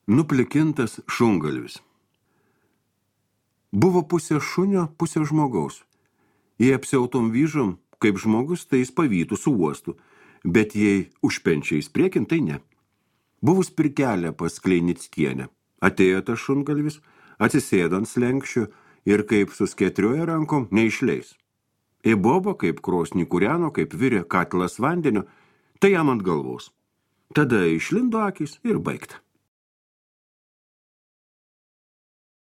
Nuplikintas šungalvis. Buvo pusė šunio, pusė žmogaus. Jei apsiautom vyžom, kaip žmogus, tai jis pavytų su uostu, bet jei užpenčiais priekin, tai ne. Buvus pirkelę pas Kleinickienę. Atėjo tas šungalvis, atsisėdo ant slenkščių ir kaip suskėtrioja rankom, neišleis. Įbobo, kaip krosnį kūreno, kaip virė katilas vandenio, tai jam ant galvos. Tada išlindo akys ir baigta.